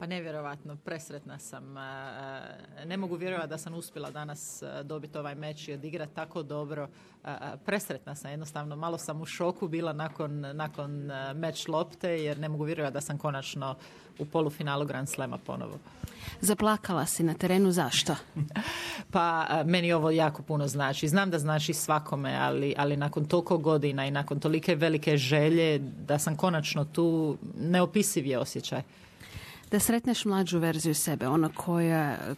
Pa nevjerovatno, presretna sam. Ne mogu vjerovati da sam uspjela danas dobiti ovaj meč i odigrati tako dobro. Presretna sam, jednostavno. Malo sam u šoku bila nakon meč lopte, jer ne mogu vjerovati da sam konačno u polufinalu Grand Slema ponovo. Zaplakala si na terenu, zašto? Pa meni ovo jako puno znači. Znam da znači svakome, ali nakon toliko godina i nakon tolike velike želje da sam konačno tu, neopisiv je osjećaj. Da sretneš mlađu verziju sebe, ona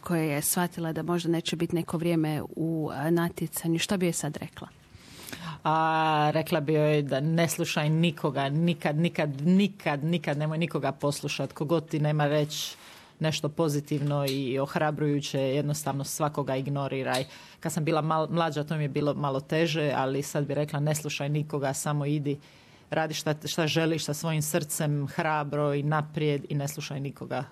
koja je shvatila da možda neće biti neko vrijeme u natjecanju, što bi joj sad rekla? Rekla bi joj da ne slušaj nikoga, nikad nemoj nikoga poslušati, kogod ti nema reći nešto pozitivno i ohrabrujuće, jednostavno svakoga ignoriraj. Kad sam bila mlađa, to mi je bilo malo teže, ali sad bi rekla ne slušaj nikoga, samo idi, radi šta želiš sa svojim srcem, hrabro i naprijed i ne slušaj nikoga.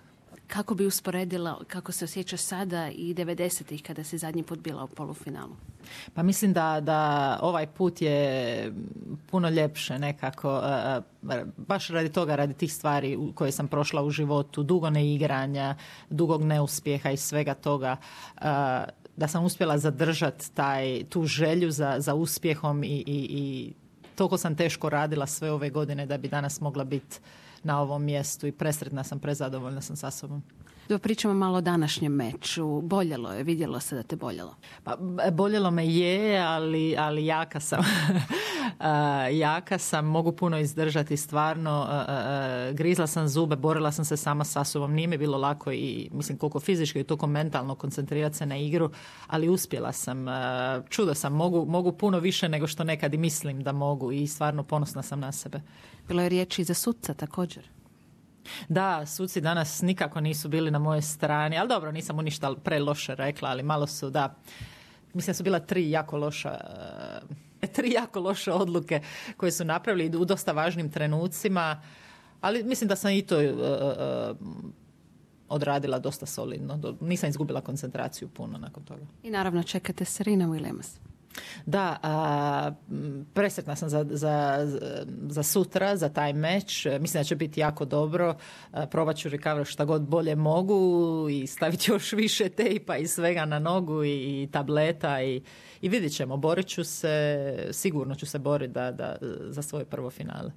Kako bi usporedila kako se osjećaš sada i 90-ih kada si zadnji put bila u polufinalu? Pa mislim da ovaj put je puno ljepše nekako, baš radi toga, radi tih stvari koje sam prošla u životu, dugo neigranja, dugog neuspjeha i svega toga, da sam uspjela zadržati tu želju za uspjehom i toliko sam teško radila sve ove godine da bi danas mogla biti na ovom mjestu i presretna sam, prezadovoljna sam sa sobom. Da pričamo malo o današnjem meču. Boljelo je, vidjelo se da te boljelo? Pa, boljelo me je, ali jaka sam. Jaka sam, mogu puno izdržati stvarno. Grizla sam zube, borila sam se sama sa sobom. Nije mi bilo lako i mislim koliko fizički i toliko mentalno koncentrirati se na igru, ali uspjela sam. Čudo sam, mogu puno više nego što nekad i mislim da mogu i stvarno ponosna sam na sebe. Bilo je riječi za suca također? Da, suci danas nikako nisu bili na mojoj strani, ali dobro, nisam mu ništa preloše rekla, ali malo su, da, mislim da su bila tri jako loše odluke koje su napravili u dosta važnim trenucima, ali mislim da sam i to odradila dosta solidno. Nisam izgubila koncentraciju puno nakon toga. I naravno čekate Serena Williams. Da, presretna sam za sutra, za taj meč. Mislim da će biti jako dobro. Probat ću recover šta god bolje mogu i staviti još više tejpa i svega na nogu i tableta i vidjet ćemo. Borit ću se, sigurno ću se boriti za svoje prvo finale.